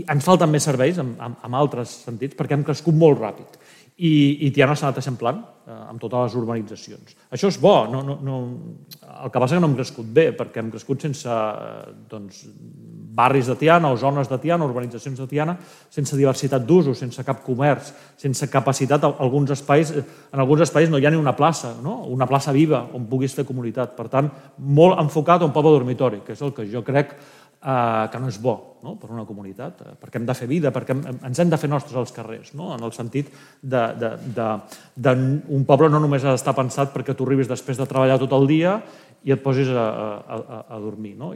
ens falten més serveis en altres sentits perquè hem crescut molt ràpid i Tiana s'ha anat eixamplant amb totes les urbanitzacions. Això és bo, el que passa és que no hem crescut bé perquè hem crescut sense barris de Tiana o zones de Tiana, urbanitzacions de Tiana, sense diversitat d'usos, sense cap comerç, sense capacitat. En alguns espais no hi ha ni una plaça viva on puguis fer comunitat. Per tant, molt enfocat a un poble dormitori, que és el que jo crec que no és bo per una comunitat, perquè hem de fer vida, perquè ens hem de fer nostres als carrers, en el sentit d'un poble no només ha d'estar pensat perquè tu arribis després de treballar tot el dia i et posis a dormir.